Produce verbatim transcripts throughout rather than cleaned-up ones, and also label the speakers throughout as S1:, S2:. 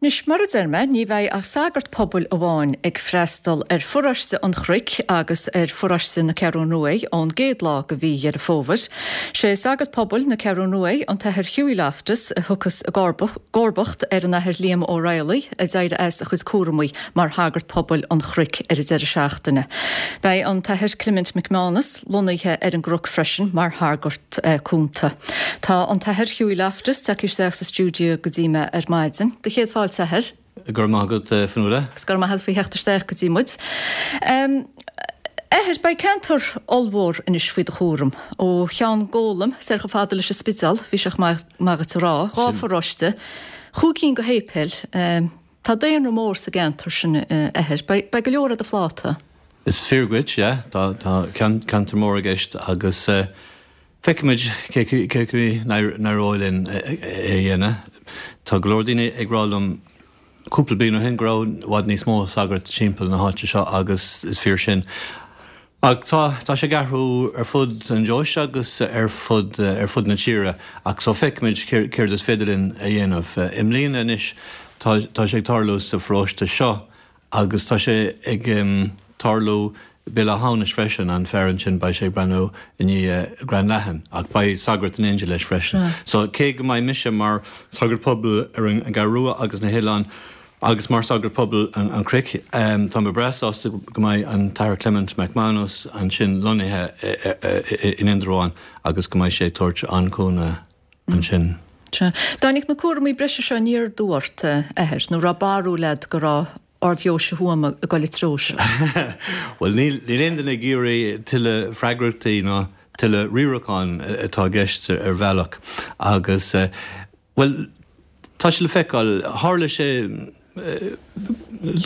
S1: Anois, mar a deir mé, ní bheidh ach sagart pobail amháin ag freastal ar pharóiste an Chnoic agus ar pharóiste na Ceathrún Rua ón gcéad lá de mhí Dheireadh Fómhair. Sé sagart pobail na Ceathrún Rua, an tAthair Hughie Loftus, a thiocfas i gcomharbacht ar an Athair Liam Ó Raghallaigh, a d'éirigh as a chuid cúramaí mar shagart pobail an Chnoic ar an deireadh seachtaine. Beidh an tAthair Clement McManus lonnaithe ar an gCnoc freisin mar shagart cúnta. Tá an tAthair Hughie Loftus tagtha isteach sa stiúideo go dtí mé ar maidin. Do chéad fáilte, a Athair.
S2: Go raibh maith agat, Fionnuala.
S1: Agus go raibh maith agat faoi theacht isteach go dtí muid. A Athair, beidh ceantar ollmhór anois faoi do chúram. Ó Cheann Gólaim soir chomh fada leis an Spidéal, bhí sé chomh maith duit a rá, dhá pharóiste, chúig cinn de shéipéil. Tá daonra mór sa gceantar sin, a Athair. Beidh go leor ar do phláta.
S2: Is fíor dhuit, yeah. Tá ceantar mór i gceist agus feicfimid cé chaoi n-éireoidh linn é a dhéanamh. Tá go leor daoine ag rá liom cúpla bliain ó shin go raibh i bhfad níos mó sagart timpeall na háite seo agus is fíor sin. Ach tá tá sé ag athrú ar fud an deoise agus ar fud ar fud na tíre ach so feicfimid céard is féidir linn a dhéanamh. I mbliana anois tá tá sé ag tarlú sa pharóiste seo agus tá sé ag tarlú Béal Átha hAmhnais freisin, an fear ansin, beidh sé ag breathnú i ndiaidh Ghleann Leathan, ach beidh sagart in éindí leis freisin. So, cé go mbeidh mise mar shagart pobail ar an gCeathrú Rua agus na hoileáin agus mar shagart pobail an Chnoic, tá mé breá sásta go mbeidh an tAthair Clement McManus ansin lonnaithe in Indreabhán agus go mbeidh sé ag tabhairt an-chúnamh ansin.
S1: Sea. Dtáinig na cúraimí breise seo aniar aduaidh ort, a Athair, nó raibh barúil agat go raibh Ard-Dheoise Thuama ag dul an treo seo?
S2: Bhuel, níl aon duine ag iarraidh tuilleadh freagrachtaí ná tuilleadh riaracháin atá i gceist ar bhealach agus, bhuel, tá sé le feiceáil. Tharla sé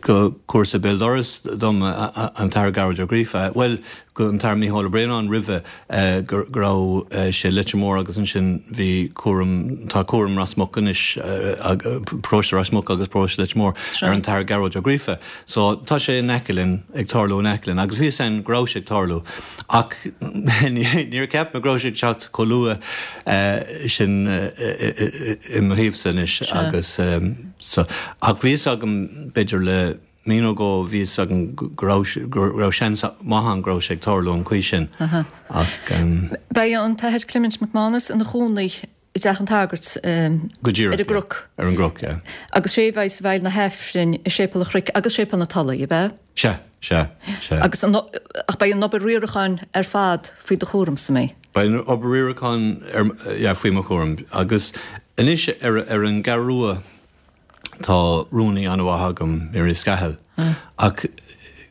S2: go cúrsa béal dorais dom, an tAthair Gearóid Ó Gríofa, bhuel, go an tAthair Mícheál Ó Braonáin roimhe, go raibh sé i Leitir Móir agus ansin bhí cúram, tá cúram Ros Muc anois, paróiste Ros Muc agus paróiste Leitir Móir ar an tAthair Gearóid Ó Gríofa. So tá sé in aice linn, ag tarlú in aice linn agus bhí fhios againn go raibh sé ag tarlú ach níor cheap mé go raibh sé ag teacht chomh luath sin i mo thaobhsa anois agus so ach bhí fhios agam b'fhéidir le mí nó dhó bhí fhios agam go raibh go raibh seans maith ann go raibh sé ag tarlú an chaoi sin
S1: ach. Beidh an tAthair Clement McManus ina chónaí i dteach an tsagairt
S2: Go díreach,
S1: ar an gCnoc.
S2: Ar an gCnoc, yeah.
S1: Agus sé a bheidh i bhfeighil na hAifrinn i Séipéal an Chnoic agus Séipéal na Tulaí, ab ea?
S2: Sea, sea, sea.
S1: Agus an, ach beidh an obair riaracháin ar fad faoi do chúramsa, an mbeidh?
S2: Beidh an obair riaracháin ar, yeah, faoi mo chúram. Agus anois ar, ar an gCeathrú Rua, Tá rúnaí an-mhaith agam, Mary Scahill, ach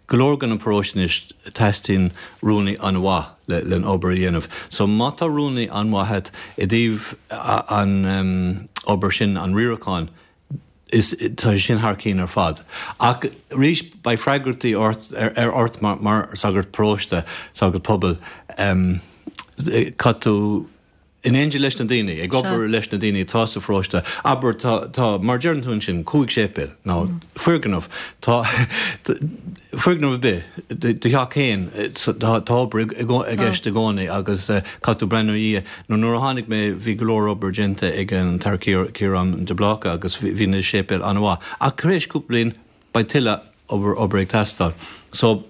S2: go leor de na paróistí anois teastaíonn rúnaí an-mhaith le an obair a dhéanamh. So má tá rúnaí an-mhaith agat i dtaobh an obair sin, an riaracháin, is tá sé sin thar cinn ar fad. Ach arís beidh freagrachtaí ort ar ort mar mar sagart paróiste, sagart pobail, caithfidh tú in éindí leis na daoine, ag obair leis na daoine atá sa pharóiste, abair, tá, tá, mar deireann tú ansin, cúig séipéal, nó foirgneamh, tá, foirgneamh ar bith, do theach féin, tá, tá obair i gceist i gcónaí agus caithfidh tú breathnú ina dhiaidh. Nó nuair a tháinig mé bhí go leor obair déanta ag an tAthair Ciarán de Bláca agus bhí na séipéil an-mhaith. Ach tar éis cúpla bliain beidh tuilleadh obair, obair ag teastáil. So,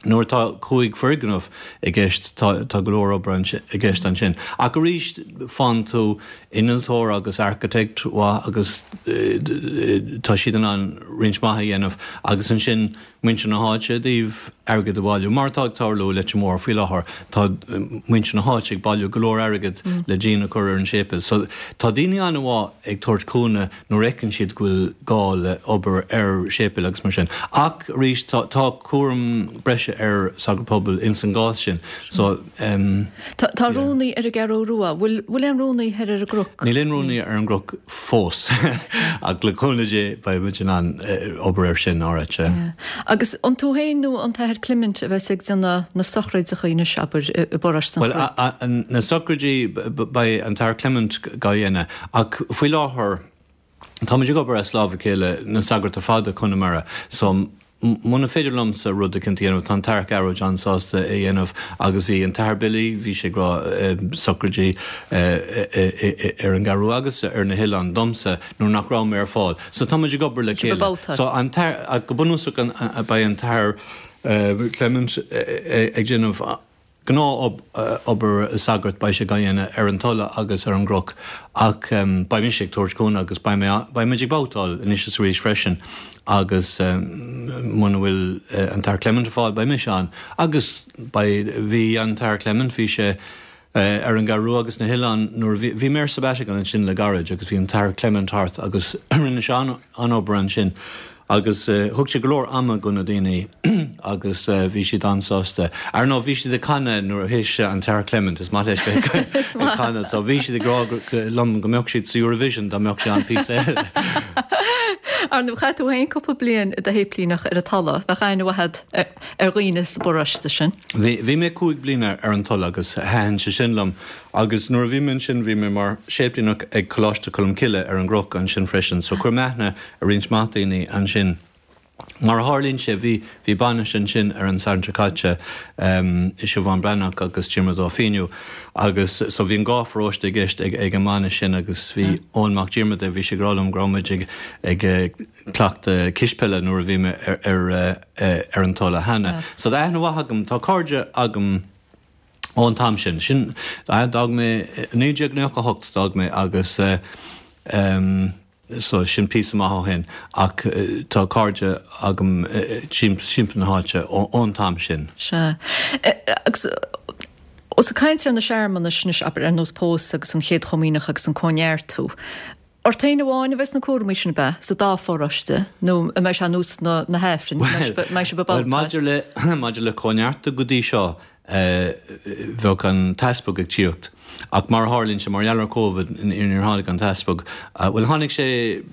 S2: nuair atá cúig foirgneamh i gceist, tá, tá go leor obair i gceist ansin. Ach arís, faigheann tú innealtóir agus architect mhaith agus tá siad in ann roinnt mhaith a dhéanamh agus ansin muintir na háite i dtaobh airgead a bhailiú, mar atá ag tarlú i Leitir Móir faoi láthair, tá muintir na háite ag bailiú go leor airgead le díon a chur ar an séipéal. So, tá daoine an-mhaith ag tabhairt cúnamh nuair a fheiceann siad go bhfuil gá le obair ar séipéal agus mar sin. Ach arís, tá tá cúram breise ar sagart pobail ins an gcás sin. So,
S1: em. Tá tá rúnaí ar an gCeathrú Rua. Bhfuil bhfuil aon rúnaí thoir ar an gCnoc?
S2: Níl aon rúnaí ar an gCnoc fós. Ach le cúnamh Dé beidh muid in ann obair air sin, alright, yeah.
S1: Agus an tú féin nó an tAthair Clement a bheas ag déanamh na sochraidí anois, abair, i bparóiste an
S2: Chnoic? Bhuel, na sochraidí, beidh an tAthair Clement dhá dhéanamh. Ach faoi láthair, táimid ag obair as lámh a chéile, na sagairt ar fad i Conamara, so Muna féidir liomsa rud eicínt a dhéanamh, tá an tAthair Gearóid an-sásta é a dhéanamh agus bhí an tAthair Billy, bhí sé ag rá socraidí ar an gCeathrú Rua agus ar na hoileáin domsa nuair nach raibh mé ar fáil. So tá muid ag obair le chéile. So an tAthair, go bunúsach beidh an tAthair Clement ag déanamh Gnáth-obair sagairt beidh sé á dhéanamh ar an Tulaigh agus ar an gCnoc ach beidh mise ag tabhairt cúnamh agus beidh mé, beidh muid ag babhtáil anois is arís freisin agus muna bhfuil an tAthair Clement ar fáil beidh mise ann agus beidh, bhí an tAthair Clement, bhí sé ar an gCeathrú Rua agus na hoileáin nuair a bhí, bhí mé ar sabbatical ansin le gairid agus bhí an tAthair Clement thart agus rinne sé an-obair ansin. Agus thug sé go leor ama go na daoine agus bhí siad an-sásta. Ar ndóigh bhí siad ag canadh nuair a théis an tAthair Clement, is maith leis bheith ag canadh, so bhí siad ag rá liom go mbeadh siad sa Eurovision dá mbeadh sé ann píosa eile.
S1: Ar ndóigh chaith tú féin cúpla bliain i do shéiplíneach ar an Tulaigh, bheadh aithne mhaith agat ar dhaoine sa bparóiste sin.
S2: Bhí, bhí mé cúig bliana ar an Tulaigh agus thaitin sé sin liom agus nuair a bhí mé ansin bhí mé mar shéiplíneach ag Coláiste Cholmcille ar an gCnoc ansin freisin so chuir mé aithne ar roinnt mhaith daoine ansin. Mar a tharlaíonn sé, bhí, bhí bainis ansin ar an Satharn seo caite, Siobhán Breathnach agus Diarmuid Ó Fíniú agus so bhí an dhá pharóiste i gceist ag, ag an mbainis sin agus bhí Eoin Mac Diarmada, bhí sé ag rá liom go raibh muid ag, ag cleachtadh cispheile nuair a bhí mé ar, ar, ar an Tulaigh cheana. So tá aithne mhaith agam, tá cairde agam ón t-am sin. Sin, d'fhág mé, naoi déag nócha a hocht d'fhág mé agus so sin píosa maith ó shin ach tá cairde agam timpeall na háite ón t-am sin.
S1: Sea. Agus ós ag caint ar na searmanais anois, abair, ar nós pósadh agus an Chéad Chomaoineach agus an Cóineartú, ort féin amháin a bheas na cúraimí sin, ab ea, sa dá pharóiste, nó an mbeidh sé ar nós na hAifrinn, an mbeidh sibh ag
S2: Bhuel, maidir le, maidir le Cóineartú go dtí seo, bheadh an t-easpag ag tíocht. Ach mar a tharlaíonn sé, mar gheall ar Covid, níor tháinig an t-easpag. Bhuel, tháinig sé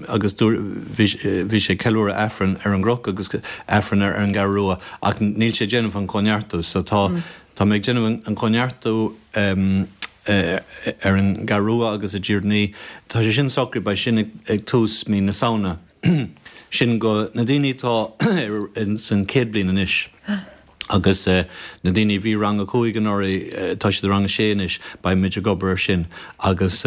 S2: agus bhí, bhí sé ag ceiliúradh Aifreann ar an gCnoc agus Aifreann ar an gCeathrú Rua ach níl sé ag déanamh an Cóineartú. So tá, tá mé ag déanamh an Cóineartú ar an gCeathrú Rua agus i dTír an Fhia. Tá sé sin socraithe, beidh sin ag tús mí na Samhna. Sin go na daoine atá san chéad bliain anois. Agus na daoine a bhí rang a cúig anuraidh, tá siad i rang a sé anois, beidh muid ag obair ar sin. Agus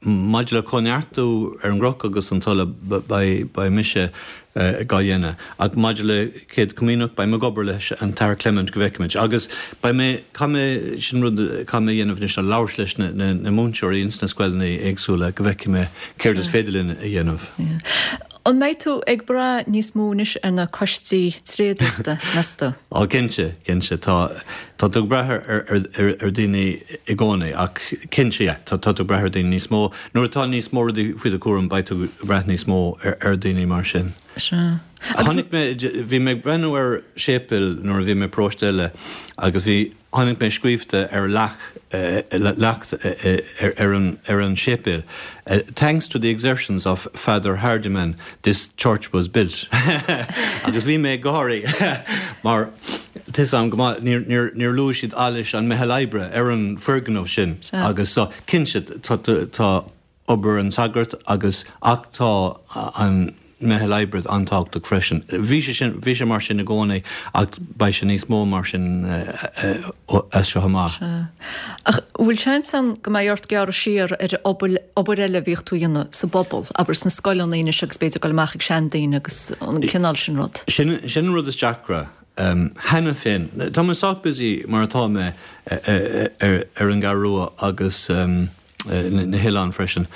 S2: maidir le cóineartú ar an gCnoc agus an Tulaigh, beidh mise dhá dhéanamh. Ach maidir le Céad Comaoineach, beidh mé ag obair leis an tAthair Clement go bhfeicfimid. Agus beidh mé, caithfidh mé, sin rud a caithfidh mé a dhéanamh anois ná labhairt leis na múinteoirí ins na scoileanna éagsúla go bhfeicfidh mé céard is féidir linn a dhéanamh.
S1: An mbeidh tú ag brath níos mó anois ar na coistí tréadaíochta, meas tú?
S2: Á, cinnte, cinnte. Tá, tá tú ag brath ar, ar, ar, ar daoine i gcónaí ach cinnte, yeah, tá, tá tú ag brath ar daoine níos mó. Nuair atá níos mó rudaí faoi do chúram beidh tú ag brath níos mó ar, ar daoine mar sin.
S1: Sea. Agus.
S2: Chonaic mé, bhí mé ag breathnú ar séipéal nuair a bhí mé i bparóiste eile agus bhí, Chonaic mé scríobhta ar leac leacht ar an ar an séipéal 'Thanks to the exertions of Father Hardiman this church was built' agus bhí mé ag gáirí mar tá 'fhios a'm go maith níor níor níor luaigh siad allas an meitheal oibre ar an foirgneamh sin agus so cinnte tá tá obair an tsagairt agus ach tá an meitheal oibre an-tábhachtach freisin. Bhí sé sin, bhí sé mar sin i gcónaí ach beidh sé níos mó mar sin as seo amach.
S1: Sea. Ach bhfuil seans ann go mbeidh ort gearradh siar ar obair, obair eile a bhíodh tú a dhéanamh sa bpobal, abair sna scoileanna anois agus b'fhéidir dul amach ag seandaoine agus an cineál sin rud?
S2: Sin, sin an rud is deacra. Cheana féin, tá mé sách busy mar atá mé ar an gCeathrú Rua agus, na hoileáin freisin.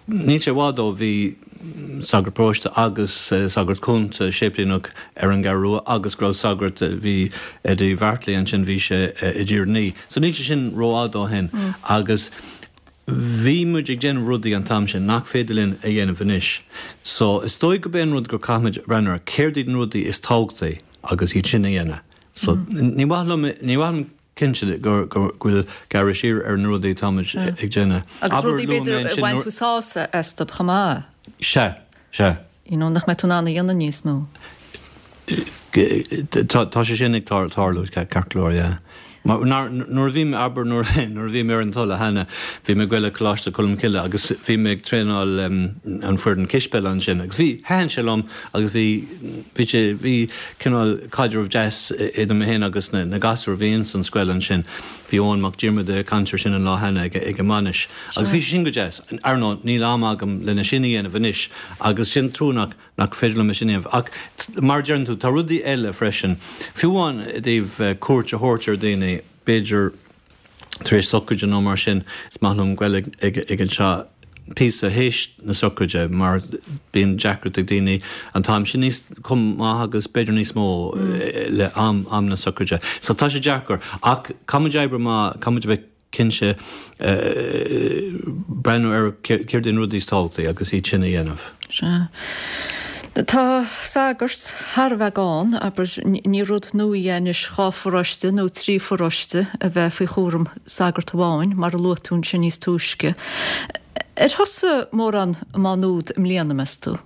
S2: Níl sé i bhfad ó bhí sagart paróiste agus sagart cúnta séiplíneach ar an gCeathrú Rua agus go raibh sagart, bhí Eddie Bheartlaí ansin, bhí sé i dTír an Fhia. So níl sé sin rófhada ó shin agus bhí muid ag déanamh rudaí an t-am sin nach féidir linn a dhéanamh anois. So is dóigh gurb é an rud gur caithfimid breathnú ar céard iad na rudaí is tábhachtaí agus iad sin a dhéanamh. So ní mhaith liom, ní mhaith liom, Cinnte go bhfuil gearradh siar ar na rudaí atáimid ag déanamh.
S1: Agus rudaí b'fhéidir a bhain tú sásamh astu chomh maith.
S2: Sea, sea.
S1: You know, nach mbeidh tú in ann a dhéanamh níos mó.
S2: Tá sé sin ag tarlú, ceart go leor, yeah. Mar nuair a bhí mé, abair, nuair a bhí mé ar an Tulaigh cheana, bhí mé ag goil ag Coláiste Cholmcille agus bhí mé ag traenáil an foireann cispheile ansin agus bhí, thaitin sé liom agus bhí, bhí sé, bhí cineál caidreamh deas idir mé féin agus na, na gasúir a bhí ins an scoil ansin. Bhí Eoin Mac Diarmada ag caint ar sin an lá cheana ag, ag an mbainis agus bhí sé sin go deas. Ar ndóigh, níl am agam lena sin a dhéanamh anois agus sin trua nach, nach féidir liom é sin a dhéanamh. Ach mar a deireann tú, tá rudaí eile freisin. Fiú amháin i dtaobh cuairt a thabhairt ar dhaoine, b'fhéidir tar éis socraide nó mar sin, is maith liom goil ag ag an teach píosa théis na socraide mar bíonn deacracht ag daoine an t-am sin níos chomh maith agus b'fhéidir níos mó le am am na socraide. So tá sé deacair. Ach caithfidh muid oibriú amach, caithfidh muid a bheith cinnte breathnú ar céard iad na rudaí is tábhachtaí agus iad sin a dhéanamh.
S1: Sea. Tá sagairt thar a bheith gann, abair, ní rud nua é anois dhá pharóiste nó trí pharóiste a bheith faoi chúram sagart amháin, mar a luaigh tú ansin níos túisce. Ar thosaigh mórán i Má Nuad i mbliana, meas tú?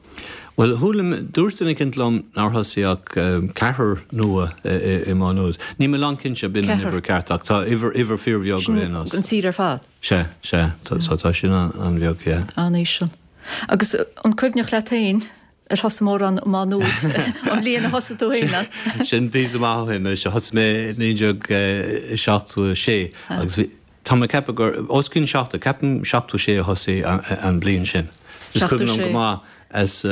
S2: Bhuel, chuala mé, dúirt duine éicint liom nár thosaigh ach ceathrar nua i Má Nuad. Níl mé lánchinnte b'in an uimhir ceart ach tá uimhir, uimhir fíorbheag ar aon nós.
S1: Sin an tír ar fad?
S2: Sea, sea, tá, tá sin an-bheag, yeah.
S1: An-íseal. Agus an cuimhneach leat féin ar thosaigh mórán i Má Nuad an bhliain a thosaigh tú féin ann?
S2: Sin píosa maith ó shin anois. Thosaigh mé i naoi déag seachtó a sé agus bhí, tá mé ag ceapadh gur os cionn seachtó, ceapaim seachtó sé a thosaigh an bhliain sin. Is cuimhin liom go maith as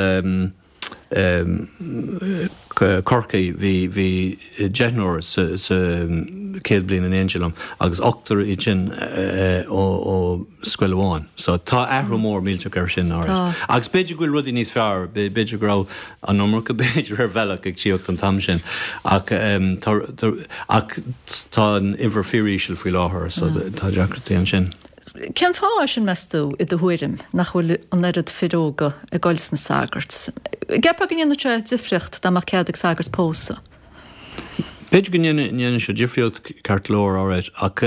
S2: Corcaigh, bhí bhí deichniúr sa sa chéad bhliain in éindí liom agus ochtar iad sin ó ó scoil amháin. So tá athrú mór millteach air sin alright. Agus b'fhéidir go bhfuil rudaí níos fearr, b'fhéidir go raibh an iomarca b'fhéidir ar bhealach ag tíocht an t-am sin ach tá ach tá an uimhir fíoríseal faoi láthair so tá deacrachtaí ansin.
S1: Cén fáth é sin, meas tú, i do thuairim, nach bhfuil an oiread fir óga ag goil sna sagairt? An gceapfá go ndéanfadh sé difríocht dá mbeadh cead ag sagart pósadh?
S2: B'fhéidir go ndéanfadh sé difríocht ceart go leor, alright, ach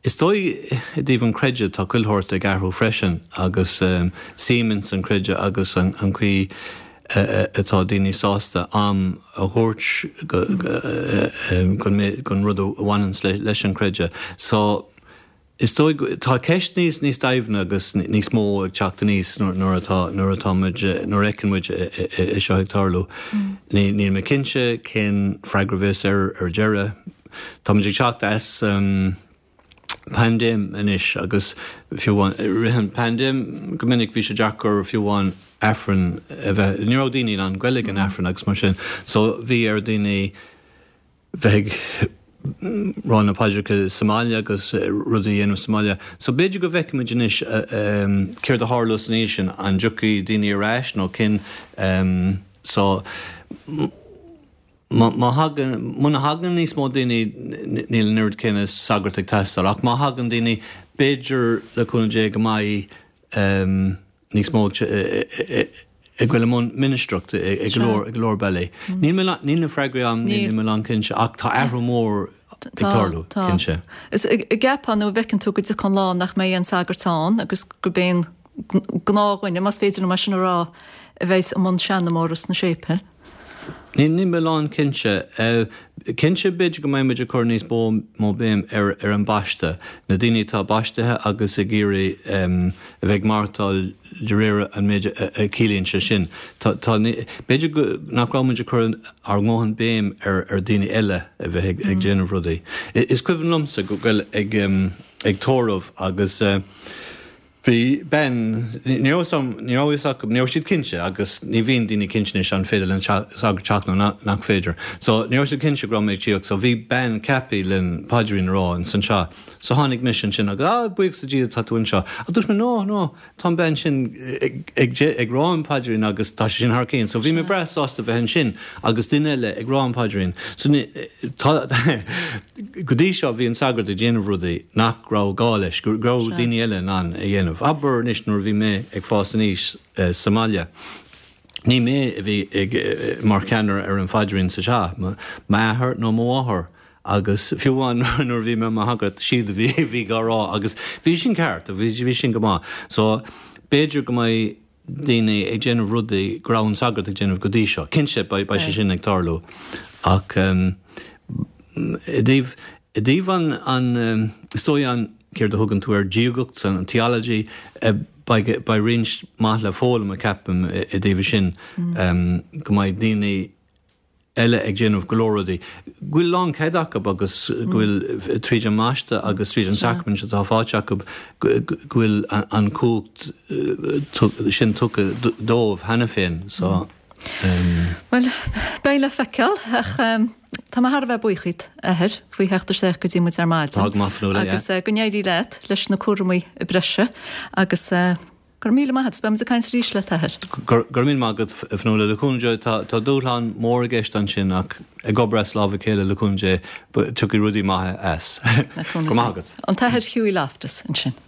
S2: is dóigh i dtaobh an chreidimh, tá chuile shórt ag athrú freisin agus suim ins an chreideamh agus an chaoi atá daoine sásta am a thabhairt don rud a bhaineanns leis an chreideamh. So. Is dóigh go, tá ceist níos, níos doimhne agus níos mó ag teacht aníos nuair atá, nuair atá muid, nuair a fheiceann muid é seo ag tarlú. Ní, níl mé cinnte cén freagra a bheas air ar deireadh. Tá muid ag teacht as paindéim anois agus fiú amháin, i rith an paindéim go minic bhí sé deacair fiú amháin Aifreann a bheith, ní raibh daoine in ann goil ag an Aifreann agus mar sin. So bhí ar daoine bheith ag rá na paidreacha sa mbaile agus rudaí a dhéanamh sa mbaile. So b'fhéidir go bhfeicfimid anois céard a tharlós ina dhiaidh sin, an dtiocfaidh daoine ar ais nó cén so má thagann, muna thagann níos mó daoine níl an oiread céanna sagart ag teastáil ach má thagann daoine b'fhéidir le cúnamh Dé go mbeidh níos mó ag goil i mbun ministreacht i go leor, i go leor bealaí. Níl mé, níl na freagraí agam, níl mé lánchinnte ach tá athrú mór ag tarlú, cinnte.
S1: Is an gceapfá nó an bhfeiceann tú go dtiocfaidh an lá nach mbeidh aon sagart ann agus gurb é an gnáthdhuine, más féidir liom é sin a rá, a bheas i mbun seanmóra sna séipéil?
S2: Níl mé lánchinnte. Cinnte, b'fhéidir go mbeidh muid ag cur níos mó béim ar ar an baisteadh, na daoine atá baistithe agus ag iarraidh a bheith ag maireachtáil de réir an méid a chiallaíonn sé sin. Tá, tá, b'fhéidir go, nach raibh muid ag cur ár ndóthain béim ar ar daoine eile a bheith ag déanamh rudaí. Is cuimhin liomsa go goil ag ag tórramh agus. Bhí bean, ní raibh ní raibh fhios acu, ní raibh siad cinnte agus ní bhíonn daoine cinnte anois an féidir le sagart teacht nó nach féidir. So ní raibh siad cinnte go raibh mé ag tíocht so bhí bean ceaptha len paidrín a rá ins an teach. So tháinig mise ansin agus ah buíochas le Dia tá tú anseo. Ach dúirt mé no, no, tá an bean sin ag ag ag rá an paidrín agus tá sé sin thar cionn. So bhí mé breá sásta bheith ansin agus duine eile ag rá an paidrín. So ní tá go dtí seo bhí an sagart ag déanamh rudaí nach raibh gá leis, go raibh daoine eile in ann a dhéanamh. Abair anois nuair a bhí mé ag fás aníos sa mbaile, ní mé a bhí ag mar cheannaire ar an phaidrín sa teach, m'athair nó mo mháthair agus fiú amháin nuair a bhí mé i mo shagart, siad a bhí a bhí á rá agus bhí sin ceart, bhí sin go maith. So b'fhéidir go mbeidh daoine ag déanamh rudaí go raibh an sagart ag déanamh go dtí seo. Cinnte, beidh sé sin ag tarlú ach i dtaobh, I dtaobh an, an, is dóigh an, céard a thugann tú air, diagacht, an theology, beidh, beidh roinnt maith le foghlaim, ceapaim, i dtaobh sin, go mbeidh daoine eile ag déanamh go leor rudaí, go bhfuil lánchead acu agus go bhfuil tríd an mbaisteadh agus tríd an sacraimint atá faighte acu go bhfuil an chumhacht sin tugtha dóibh cheana féin. So.
S1: Bhuel, beidh le feiceáil, ach tá mé thar a bheith buíoch díot, a Athair, faoi theacht isteach go dtí muid ar maidin.
S2: Tá go maith, Fionnuala, yeah.
S1: Agus go n-éirí leat leis na cúramaí breise agus go raibh míle maith agat. Beidh muid ag caint arís leat, a Athair.
S2: Go raibh míle maith agat, a Fhionnuala. Le cúnamh Dé, tá dúshlán mór i gceist ansin ach ag obair as lámh a chéile le cúnamh Dé, tiocfaidh rudaí maithe as. Go raibh maith agat.
S1: An tAthair Hughie Loftus ansin.